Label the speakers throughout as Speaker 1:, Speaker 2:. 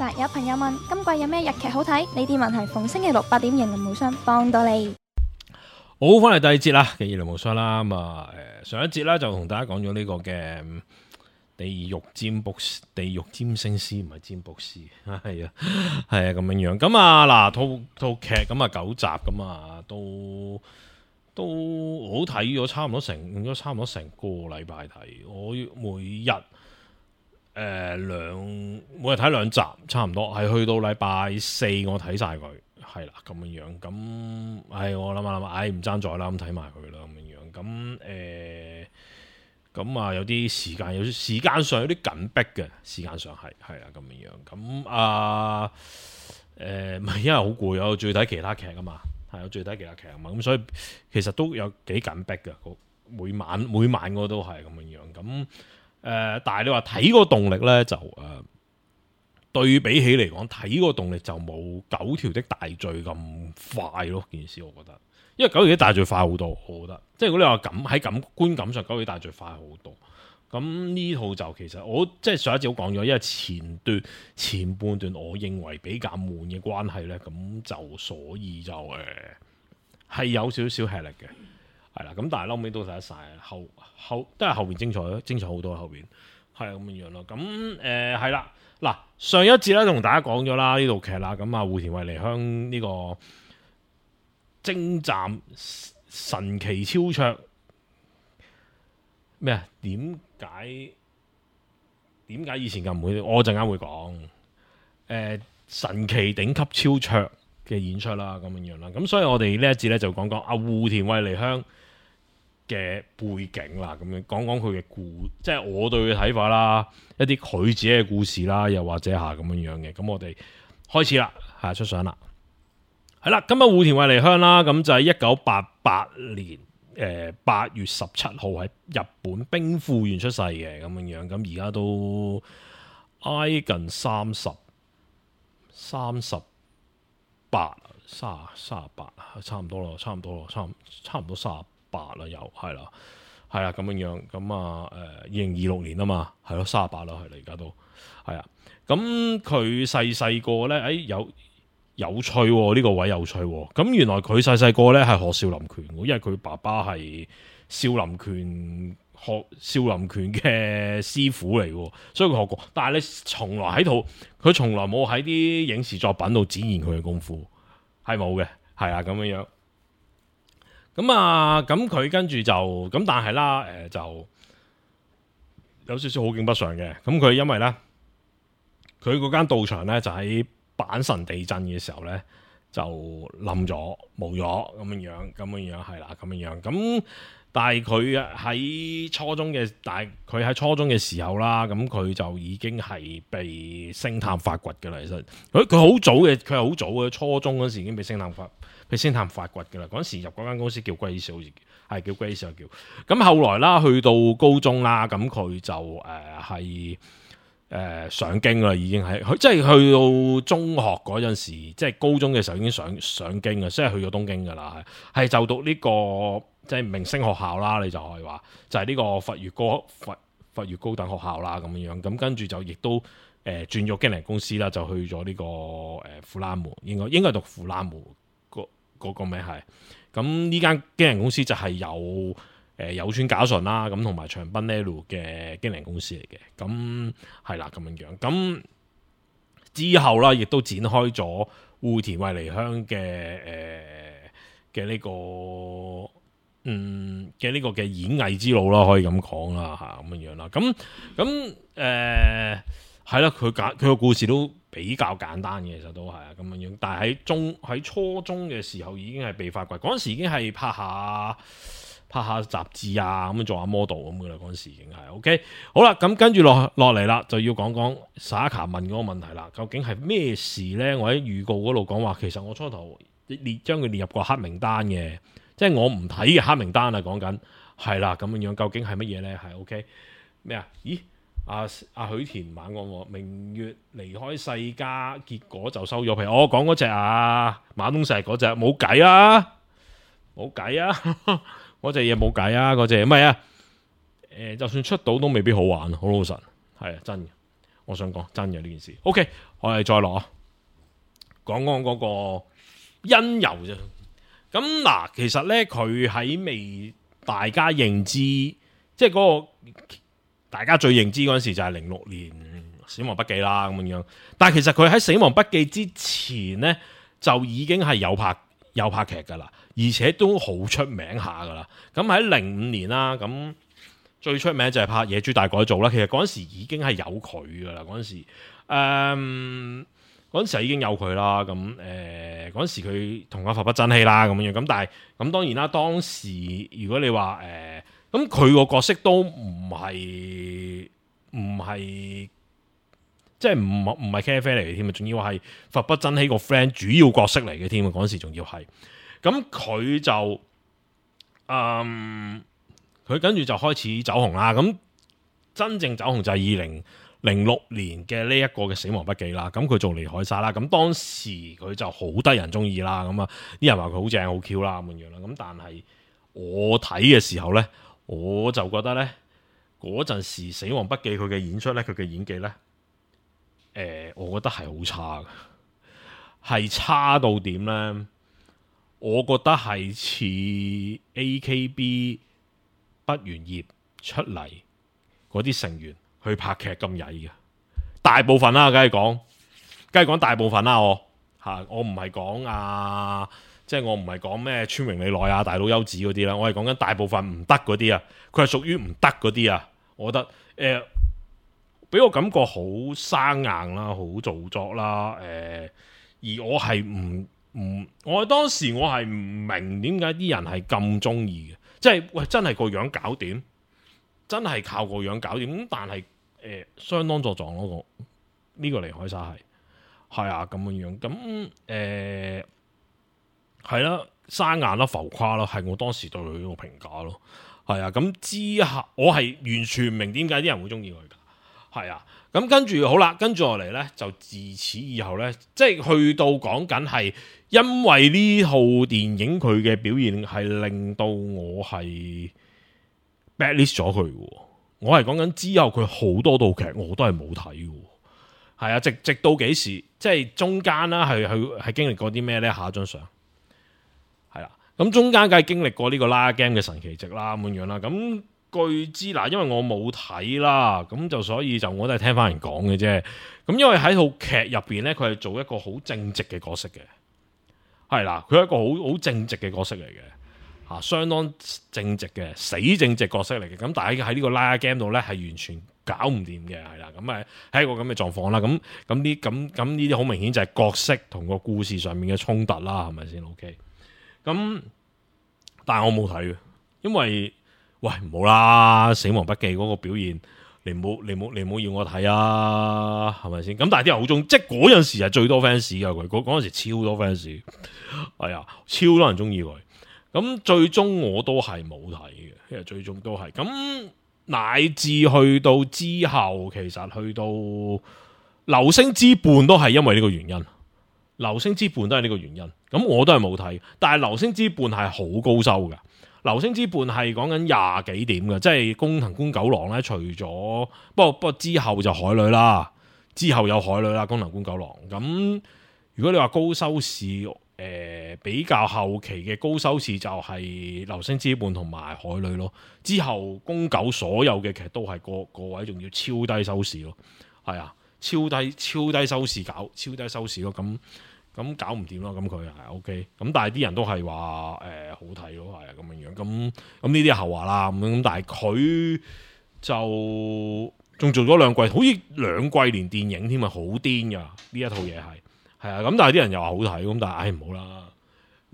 Speaker 1: 實有朋友問今季有咩日劇好睇？呢啲問題逢星期六8點型林無雙幫到你。
Speaker 2: 好，翻嚟第二節啦嘅林無雙啦。咁啊，上一節咧就同大家講咗呢個嘅地獄占星師，唔係占卜師，係啊咁樣樣。咁啊嗱，套劇咁啊9集咁啊都好睇咗，差唔多成個禮拜睇。我每日每日睇2集，差唔多係去到禮拜4我睇晒佢，係啦咁樣樣。咁我諗下，唔爭在啦，咁睇埋佢啦咁樣樣。咁啊有啲時間上有啲緊迫嘅，時間上係啦咁樣樣。咁唔係因為好攰，我仲要睇其他劇啊嘛。係，我最睇其他劇啊嘛，咁所以其實都有幾緊迫嘅，每晚我都係咁樣樣。咁但係你話睇個動力咧，就對比起嚟講，睇個動力就冇9條的大罪咁快咯。件事我覺得，因為9條的大罪快好多，我覺得。即係如果你話喺觀感上，9條的大罪快好多。咁呢套就其實我即係上一節都講咗，因為前半段我認為比較悶嘅關係咧，咁就所以就係有少少吃力嘅，係啦。咁但係後尾都睇得晒，後都係後邊精彩好多，後邊係咁樣樣咯。咁係啦，嗱上一節咧同大家講咗啦呢套劇啦，咁啊戶田惠梨香呢個征戰神奇超卓咩啊？點解以前咁唔會？我陣間會講神奇頂級超卓嘅演出啦，咁樣樣啦。咁所以我哋呢一節咧就講講戶田惠梨香嘅背景啦，咁樣講講佢嘅即係我對佢嘅睇法啦，一啲佢自己嘅故事啦，又或者咁樣樣嘅。咁我哋開始啦，出相啦，係啦。咁啊戶田惠梨香啦，咁就係1988年。8月17號喺日本兵庫縣出世嘅，咁樣樣。咁而家都挨近38，差唔多咯，差唔多38啦，又係啦咁樣樣。咁啊2026年啊嘛，係咯38啦，係啦，而家都係啊。咁佢細個咧，有趣喎，呢個位有趣喎。咁原來佢細個咧係學少林拳，因為佢爸爸係少林拳嘅師傅嚟嘅，所以佢學過。但係你佢從來冇喺啲影視作品度展現佢嘅功夫，係冇嘅，係啊咁樣樣。咁佢跟住就咁，但係啦，就有少少好景不常嘅。咁佢因為咧，佢嗰間道場咧就喺阪神地震嘅時候咧就冧咗冇咗咁樣係啦咁樣。咁但係佢喺初中嘅時候啦，咁佢就已經係被星探發掘嘅啦。其實佢係好早嘅，初中嗰時已經被星探發掘嘅啦。嗰時入嗰間公司叫龜少，好似係叫龜少叫。咁後來啦，去到高中啦，咁佢就係。上京啦，已經係即係去到中學嗰陣時，即係高中嘅時候已經上京啊，即係去咗東京噶啦，係就讀呢個即係明星學校啦，你就可以話就係呢個佛越高等學校啦咁樣。咁跟住就亦都轉咗經理公司啦，就去咗呢個富蘭門，應該讀富蘭門嗰個名係。咁呢間經理公司就係有村架純啦，咁同埋長濱呢路嘅經理公司嚟嘅，咁係啦咁樣。咁之後啦，亦都展開咗戶田惠梨香嘅呢個嘅演藝之路啦，可以咁講啦咁樣啦。咁係啦，佢個故事都比較簡單嘅，其實都係咁樣。但係喺初中嘅時候已經係被發掘，嗰陣時已經係拍下雜誌啊，咁做下 model 咁噶啦，嗰陣時已經係 OK。好啦，咁跟住落嚟啦，就要講講 Sayaka 問嗰個問題啦。究竟係咩事呢？我喺預告嗰度講話，其實我初頭將佢列入個黑名單嘅，即係我唔睇嘅黑名單啊。講緊係啦，咁樣究竟係乜嘢呢？係 OK 咩啊？咦，阿許田猛講明月離開世家，結果就收咗皮。我講嗰隻馬東石嗰隻冇計啊，冇計啊！嗰隻嘢冇計啊！嗰隻唔係啊，就算出到都未必好玩，好老實係啊，真嘅。我想講真嘅呢件事。OK， 我哋再落啊，講講嗰個因由啫。咁嗱，其實咧佢喺未大家認知，即係嗰個大家最認知嗰陣時就係06年死亡筆記啦咁樣。但係其實佢喺死亡筆記之前咧就已經係有拍劇噶啦，而且都好出名下噶啦。咁喺05年啦，咁最出名就係拍《野豬大改造》啦。其實嗰陣時已經係有佢噶啦，嗰陣時嗰陣時已經有佢啦。咁嗰陣時佢同阿佛不爭氣啦咁樣。咁但係咁當然啦，當時如果你話咁佢個角色都唔係即係唔係咖啡嚟嘅添啊，仲要係佛不爭氣個 friend 主要角色嚟嘅添啊，嗰陣時仲要係。咁佢就佢跟住就開始走紅啦。咁真正走紅就係2006年嘅呢一個嘅死亡筆記啦。咁佢做尼海沙啦。咁當時佢就好得人中意啦。咁啊啲人話佢好正好 Q 啦咁樣啦。咁但係我睇嘅時候咧，我就覺得咧嗰陣時死亡筆記佢嘅演出咧，佢嘅演技咧，我覺得係好差嘅，係差到點咧？我覺得係似 AKB 畢完業出嚟嗰啲成員去拍劇咁曳嘅，大部分啦，梗係講大部分啦，我唔係講即係我唔係講咩川榮李奈啊、大佬優子嗰啲啦，我係講緊大部分唔得嗰啲啊，佢係屬於唔得嗰啲啊，我覺得俾我感覺好生硬啦，好做作啦，而我係我當時我係唔明點解啲人係咁中意嘅，即係喂真係個樣搞掂，真係靠個樣搞掂，咁但係相當作狀咯，呢個尼海沙係啊咁樣，咁係啦，生硬啦，浮誇啦，係我當時對佢呢個評價咯，係啊，咁之後我係完全唔明點解啲人會中意佢噶，係啊。咁跟住好啦，跟住落嚟呢，就自此以後呢，即係去到講緊係因為呢套電影佢嘅表現係令到我係 backlist 咗佢嘅。我係講緊之後佢好多套劇我都係冇睇嘅。係啊，直到幾時？即係中間啦，係經歷過啲咩呢？下一張相係啦，咁中間梗係經歷過呢個拉 game 嘅神奇值啦，咁樣啦，咁。據知嗱，因為我冇睇啦，咁就所以就我都係聽翻人講嘅啫。咁因為喺套劇入邊咧，佢係做一個好正直嘅角色嘅，係啦，佢係一個好正直嘅角色嚟嘅，相當正直嘅死正直角色嚟嘅。咁但係喺呢個拉 game 度咧，係完全搞唔掂嘅，係啦。咁係一個咁嘅狀況啦。咁呢啲好明顯就係角色同個故事上面嘅衝突啦，係咪先 ？OK。咁但係我冇睇嘅，因為。喂，唔好啦！死亡筆記嗰個表現，你唔好要我睇啊，係咪先？咁但係啲人好中，即係嗰陣時係最多 fans 噶佢，嗰陣時超多 fans，係啊，超多人中意佢。咁最終我都係冇睇嘅，其實最終都係咁，乃至去到之後，其實去到流星之絆都係因為呢個原因。流星之絆都係呢個原因，咁我都係冇睇，但係流星之絆係好高收噶。流星之絆係講緊20幾點嘅，即係宮藤官九郎咧。除咗不過之後就海女啦，之後有海女啦，宮藤官九郎。咁如果你話高收視，比較後期嘅高收視就係流星之絆同埋海女咯。之後宮九所有嘅劇都係個位仲要超低收視咯，係啊，超低收視超低收視咯。咁搞唔掂咯，咁佢係 OK，咁但係啲人都係話好睇咯，係啊咁樣樣，咁呢啲係後話啦，咁但係佢就仲做咗2季，好似2季連電影添啊，好癲噶呢一套嘢係啊，咁但係啲人又話好睇，咁但係唔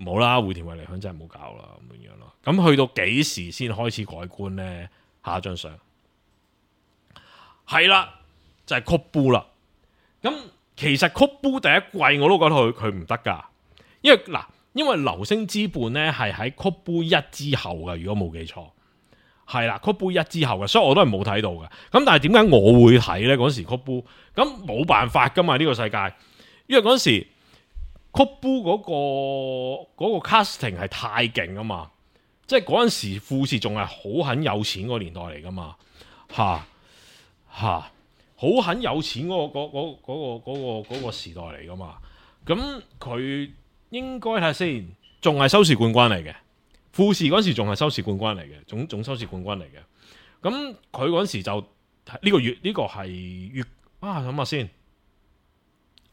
Speaker 2: 好啦，戶田惠梨香真係唔好搞啦咁樣樣咯。咁去到幾時先開始改觀咧？下一張相係啦，就係曲布啦，咁。其實曲布第一季我都覺得佢唔得噶，因為流星之絆咧係喺曲布1之後嘅，如果冇記錯係啦，曲布1之後嘅，所以我都係冇睇到嘅。咁但係點解我會睇咧？嗰時曲布咁冇辦法噶嘛，呢個世界，因為嗰時曲布嗰個 casting 係太勁啊嘛，即係嗰陣時富士仲係好很有錢嗰個年代嚟噶嘛，吓。好很有錢嗰個時代嚟噶嘛。咁佢應該睇下先，仲係收視冠軍嚟嘅。富士嗰時仲係收視冠軍嚟嘅，總收視冠軍嚟嘅。咁佢嗰時就呢個月呢個係月諗下先，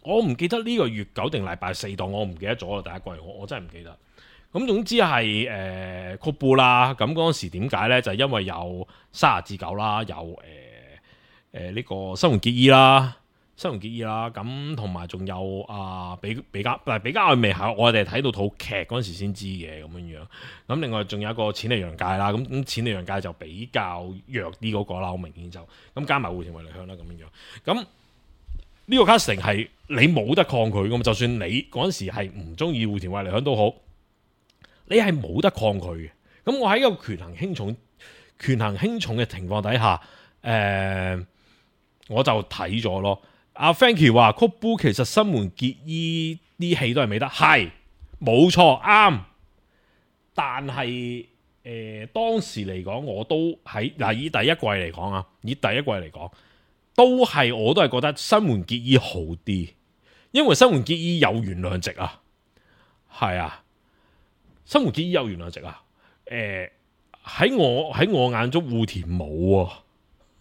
Speaker 2: 我唔記得呢個月9定禮拜4檔，我唔記得咗啦。第一季我真係唔記得。咁總之係曲布啦。咁嗰陣時點解咧？就係因為有30至9啦，有呢個新垣結衣啦。咁同埋仲有比嘉，但係比嘉我未係我哋睇到套劇嗰陣時先知嘅咁樣。咁另外仲有一個淺利陽介啦，咁淺利陽介就比較弱啲嗰個啦，好明顯就咁加埋戶田惠梨香啦咁樣。咁呢個 casting 係你冇得抗拒噶嘛，就算你嗰陣時係唔中意戶田惠梨香都好，你係冇得抗拒嘅。咁我喺一個權衡輕重嘅情況底下，我就睇咗咯。阿 Frankie 話曲布其實新垣結衣啲戲都係美得，係冇錯啱。但係當時嚟講，我都喺以第一季嚟講，我都係覺得新垣結衣好啲，因為新垣結衣有原諒值啊，係啊，新垣結衣有原諒值啊。喺我眼中，戶田冇啊。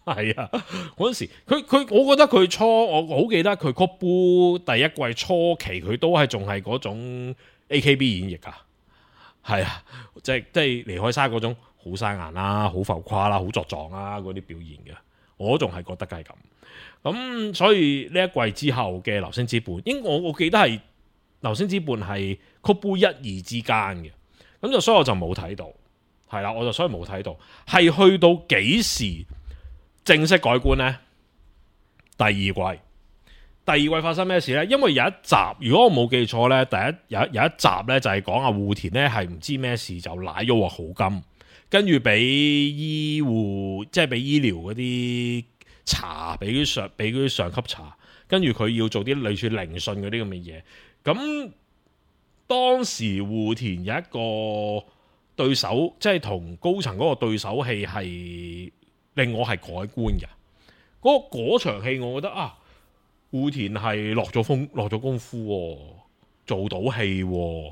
Speaker 2: 係啊，嗰陣時我覺得佢我好記得佢曲布第一季初期，佢都係仲係嗰種 AKB 演繹啊，係啊，即係離開沙嗰種好生硬啦，好浮誇啦，好作狀啦嗰啲表現嘅，我仲係覺得係咁。咁所以呢一季之後嘅流星之絆，我記得係流星之絆係曲布1、2之間嘅，咁就所以我就冇睇到，係啦，所以冇睇到，係去到幾時正式改觀呢？第二季發生咩事呢？因為有一集，如果我冇記錯呢，有一集呢就係講阿戶田呢係唔知咩事就瀨咗鑊好金，跟住俾醫護即係俾醫療嗰啲查，俾啲上級查，跟住佢要做啲類似聆訊嗰啲咁嘅嘢。咁當時戶田有一個對手，即係同高層嗰個對手戲係令我係改觀嘅。嗰場戲我覺得戶田係落咗功夫，做到戲，唔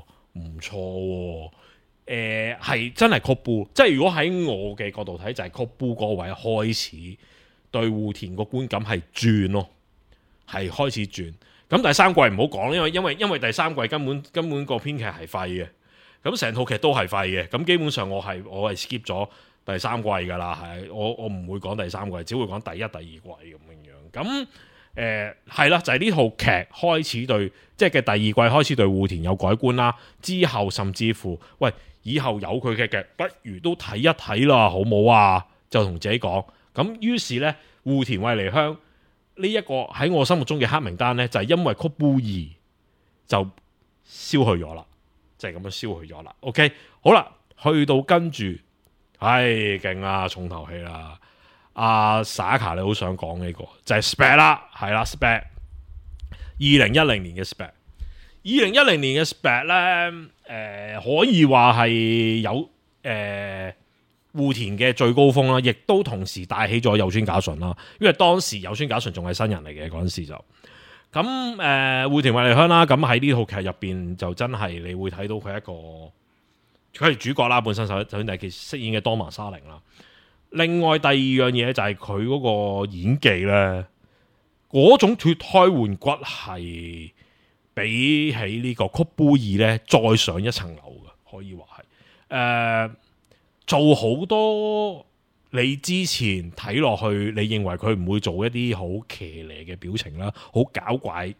Speaker 2: 錯。係真係曲布，即係如果喺我嘅角度睇，就係曲布嗰位開始對戶田個觀感係轉咯，係開始轉。咁第三季唔好講，因為第三季根本個編劇係廢嘅，咁成套劇都係廢嘅。咁基本上我係 skip 咗第三季噶啦，係我唔會講第三季，只會講第一、第二季咁樣。咁係啦，就係呢套劇開始對，即係嘅第二季開始對戶田有改觀啦。之後甚至乎，喂，以後有佢嘅劇，不如都睇一睇啦，好冇啊？就同自己講。咁於是呢，戶田惠梨香呢一個喺我心目中嘅黑名單呢，就係因為曲布2就消去咗啦，就係咁樣消去咗啦。OK， 好啦，去到跟住，勁啊，重頭戲啦。阿 Saka 你好想講呢個就係 SPEC 啦，係啦 SPEC 2010年嘅 SPEC，2010年嘅 SPEC 咧，可以話係有戶田嘅最高峰啦，亦都同時帶起咗有村架純啦，因為當時有村架純仲係新人嚟嘅嗰陣時就咁戶田惠梨香啦，咁喺呢套劇入邊就真係你會睇到佢佢係主角啦，本身首先係佢飾演嘅當麻沙鈴啦。另外第二樣嘢就係佢嗰個演技咧，嗰種脫胎換骨係比起呢個曲布2咧再上一層樓嘅，可以話係做好多你之前睇落去，你認為佢唔會做一啲好騎呢嘅表情啦，好搞怪、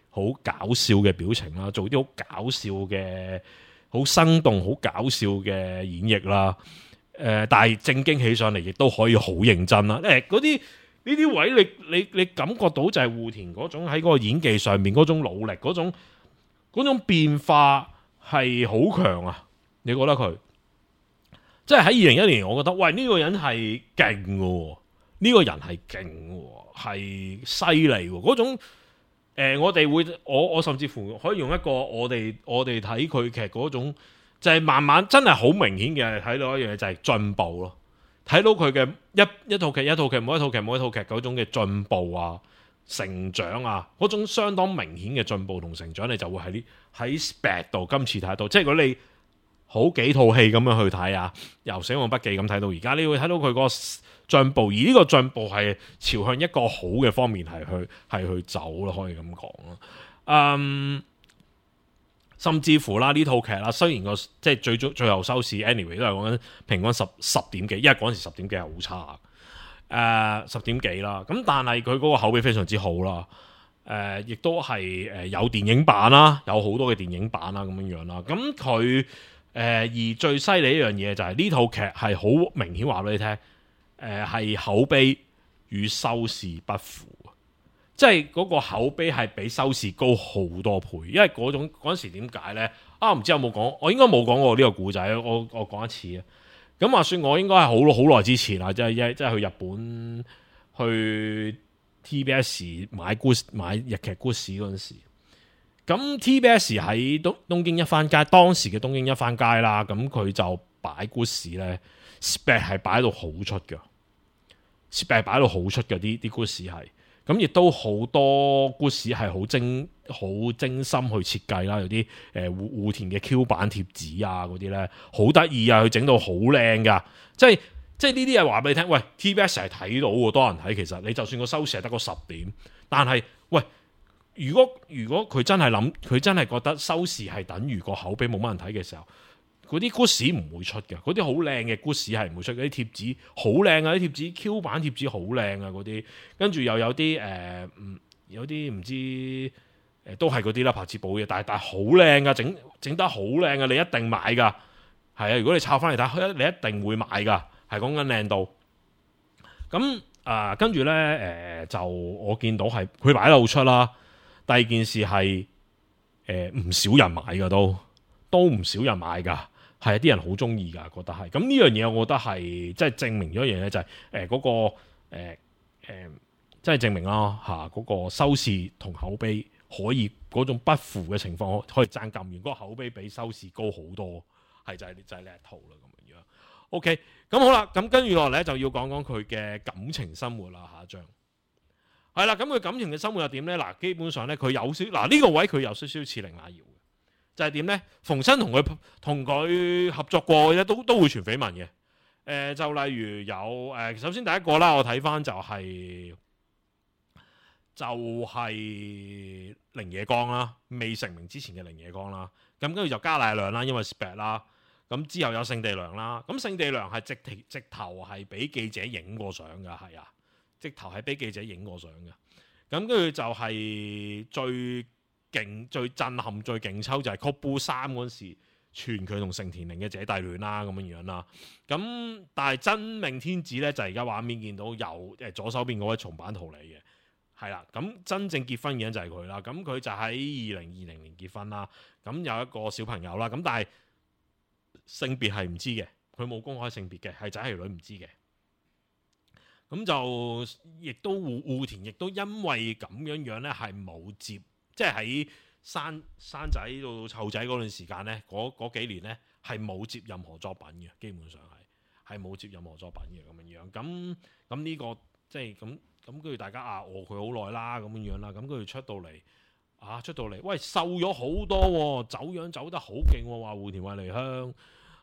Speaker 2: 好搞笑嘅表情啦，做啲好搞笑嘅、好生動、好搞笑嘅演繹啦。但係正經起上嚟，亦都可以好認真啦。嗰啲呢啲位，你感覺到就係戶田嗰種喺嗰個演技上面嗰種努力，嗰種變化係好強啊！你覺得佢即係喺2010年，我覺得喂呢個人係勁嘅，呢個人係勁嘅，係犀利嗰種。我甚至乎可以用一個我哋睇佢劇嗰種。就係慢慢真係好明顯嘅睇到一樣嘢，就係進步咯，睇到佢嘅一套劇一套劇每一套劇嗰種嘅進步啊、成長啊，嗰種相當明顯嘅進步同成長，你就會喺 Spec 度今次睇到。即係如果你好幾套戲咁樣去睇啊，由《死亡筆記》咁睇到而家，你會睇到佢個進步，而呢個進步係朝向一個好嘅方面係去走咯，可以咁講咯。甚至乎啦呢套劇啦，雖然即係最後收視 anyway 都係講緊平均十點幾，因為嗰陣時10點幾係好差，10點幾啦。咁但係佢嗰個口碑非常之好啦，亦都係有電影版啦，有好多嘅電影版啦咁樣啦。咁佢而最犀利一樣嘢就係呢套劇係好明顯話俾你聽，係口碑與收視不符。即係嗰個口碑係比收視高好多倍，因為嗰陣時點解呢？唔知有冇講？我應該冇講過呢個故仔，我講一次啊。咁話說我應該係好耐之前啦，即係去日本去 TBS 買日劇 Good 嗰陣時。咁 TBS 喺東京一番街，當時嘅東京一番街啦，咁佢就擺 Good 呢 spec 係擺到好出嘅 ，spec 擺到好出嘅啲 Good 係。咁亦都好多故事係好精心去設計啦，有啲戶田嘅 Q 版貼紙啊嗰啲咧，好得意啊，佢整到好靚噶，即係呢啲嘢話俾你聽，喂 TBS 係睇到喎，多人睇，其實你就算個收視係得個10點，但係喂，如果佢真係覺得收視係等於個口碑冇乜人睇嘅時候，嗰啲 good 士唔會出嘅，嗰啲好靚嘅 good 士係唔會出，嗰啲貼紙好靚啊，啲貼紙 Q 版貼紙好靚啊，嗰啲跟住又有啲有啲唔知都係嗰啲啦，拍紙簿嘅，但係好靚噶，整得好靚啊，你一定買噶，係啊，如果你抄翻嚟睇，你一定會買噶，係講緊靚到。咁跟住咧就我見到係佢擺得好出啦。第二件事係唔少人買噶，都唔少人買噶。係啲人好中意㗎，覺得係咁呢樣嘢，我覺得係即係證明咗一樣嘢，就係嗰個即係證明啦嚇嗰個收視同口碑可以嗰種不符嘅情況可以爭咁遠，嗰個口碑比收視高好多，係就係呢一套啦咁樣。OK， 咁好啦，咁跟住落嚟就要講講佢嘅感情生活啦，下一章係啦。咁佢感情嘅生活又點咧？嗱，基本上咧佢有少呢個位佢有少少似凌雅瑤。就係點呢？逢親同佢合作過嘅都會傳緋聞嘅。就例如有首先第一個啦，我睇翻就係綾野剛啦，未成名之前嘅綾野剛啦。咁跟住就加瀨亮啦，因為 spec 啦。咁之後有勝地涼啦。咁勝地涼係直頭係俾記者影過相㗎，係啊，直頭係俾記者影過相㗎。咁跟住就係最震撼、最勁抽就係 Couple 3嗰陣時，傳佢同成田凌嘅姐弟戀啦，咁樣啦。咁但係真命天子咧，就係而家畫面見到有左手邊嗰位松坂桃李嘅，係啦。咁真正結婚嘅人就係佢啦。咁佢就喺2020年結婚啦。咁有一個小朋友啦。咁但係性別係唔知嘅，佢冇公開性別嘅，係仔係女唔知嘅。咁就亦都戶田亦都因為咁樣咧，係冇接。即係喺生仔到湊仔嗰段時間咧，嗰幾年咧係冇接任何作品嘅，基本上係冇接任何作品嘅咁樣。咁呢個即係咁跟住大家餓佢好耐啦咁樣啦。咁跟住出到嚟，喂瘦咗好多喎，走樣走得好勁喎，話戶田惠梨香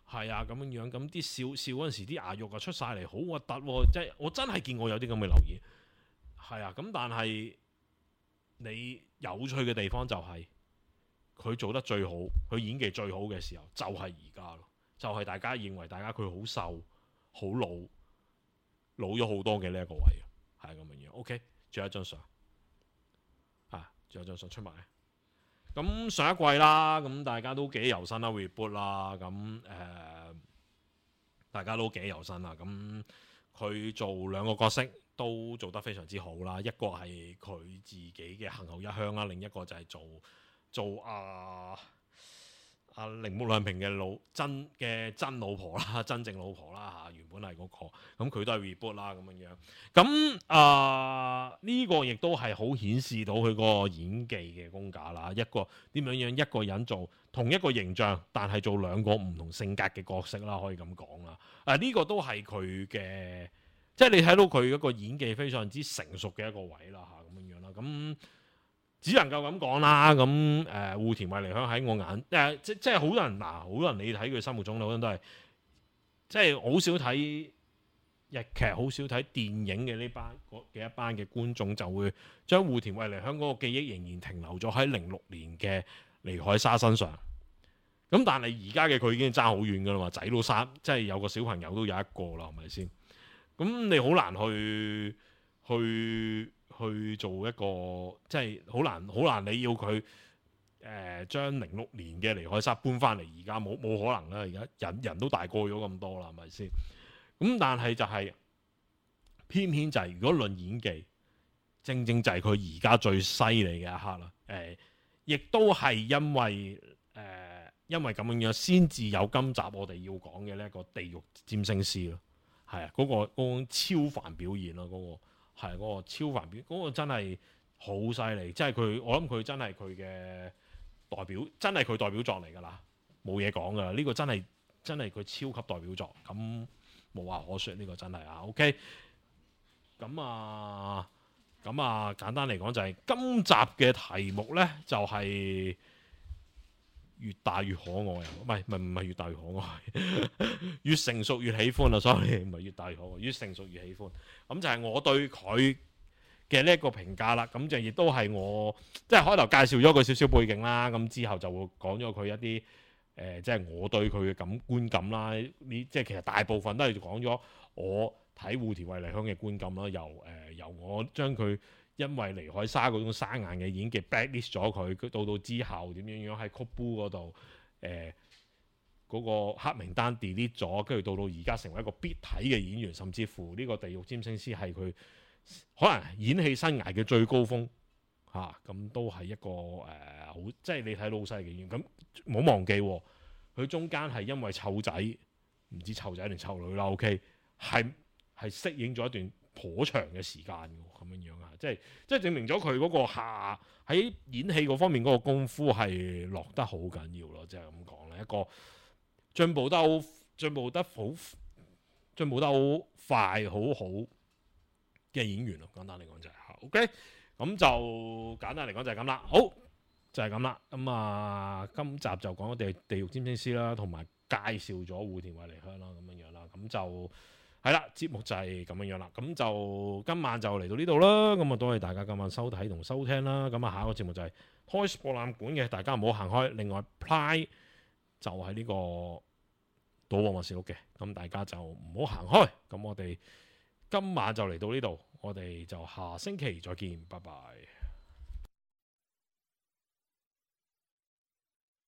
Speaker 2: 係啊咁樣。咁啲笑嗰陣時啲牙肉啊出晒嚟，好核突喎！即係我真係見過有啲咁嘅留言，係啊。咁但係你有趣嘅地方就係佢做得最好，佢演技最好嘅時候就係而家咯，就係大家認為大家佢好瘦、好老咗好多嘅呢一個位，係咁樣。OK， 仲有一張相，仲有張相出埋。咁上一季啦，咁大家都幾有心啦 ，reboot 啦，咁大家都幾有心啦。咁佢做2個角色都做得非常之好啦，一個係佢自己嘅行後一鄉啦，另一個就係做鈴木亮平嘅真老婆啦，真正老婆啦嚇，原本係嗰個，咁佢都係 reboot 啦咁樣樣。咁呢個亦都係好顯示到佢嗰個演技嘅功架啦。一個點樣一個人做同一個形象，但係做兩個唔同性格嘅角色啦，可以咁講啦。呢個都係佢嘅，即係你睇到佢嗰個演技非常之成熟嘅一個位啦嚇，咁樣樣啦。咁只能夠咁講啦，咁戶田惠梨香喺我眼即係好多人好多人你睇佢心目中好多人都係即係好少睇日劇，好少睇電影嘅一班嘅觀眾就會將戶田惠梨香嗰個記憶仍然停留咗喺06年嘅尼海沙身上。咁但係而家嘅佢已經爭好遠噶啦嘛，仔都生，即係有個小朋友都有一個啦，係咪先？咁你好難去做一個，即係好難你要佢將06年嘅尼海沙搬翻嚟，而家冇可能啦！而家人都大個咗咁多啦，係咪先？咁但係就係、偏偏就係、如果論演技，正就係佢而家最犀利嘅一刻啦。亦都係因為咁樣先至有今集我哋要講嘅呢一個地獄占星師咯。係啊，嗰個超凡表現咯，嗰個超凡表現，嗰個真係好犀利，即係佢，我諗佢真係佢嘅代表，真係佢代表作嚟㗎啦，冇嘢講㗎啦，呢個真係佢超級代表作，咁無話可説，呢個真係啊 ，OK， 咁簡單嚟講就係今集嘅題目呢，就係越大越可愛啊！唔係越大越可愛，越成熟越喜歡啊！sorry， 唔係越大越可愛，越成熟越喜歡。咁就係我對佢嘅呢一個評價啦。咁就亦都係我即係開頭介紹咗佢少少背景啦。咁之後就會講咗佢一啲即係我對佢嘅觀感啦。即係其實大部分都係講咗我睇戶田惠梨香嘅觀感啦。由我將佢因為尼海沙嗰種生硬嘅演技 blacklist 咗佢，到之後點樣喺 Kobu 嗰度嗰個黑名單 delete 咗，跟住到而家成為一個必睇嘅演員，甚至乎呢個地獄占星師係佢可能演戲生涯嘅最高峰嚇，咁都係一個好即係你睇到好犀利嘅演員。咁冇忘記佢中間係因為湊仔，唔知湊仔定湊女啦 ，OK 係適應咗一段頗長嘅時間咁樣樣啊，即係證明咗佢嗰個喺演戲嗰方面嗰個功夫係落得好緊要咯，即係咁講咧，一個進步得好快好嘅演員咯，簡單嚟講就係OK， 咁就簡單嚟講就係咁啦，好就係咁啦，咁今集就講咗地獄占星師啦，同埋介紹咗戶田惠梨香啦，咁樣樣啦，咁就。係啦，節目就係咁樣樣啦，咁就今晚就嚟到呢度啦，咁多謝大家今晚收睇同收聽啦，咁下一個節目就係 Toys 博覽館嘅，大家唔好行開。另外 Ply 就係呢個賭王默示錄嘅，咁大家就唔好行開。咁我哋今晚就嚟到呢度，我哋就下星期再見，拜拜。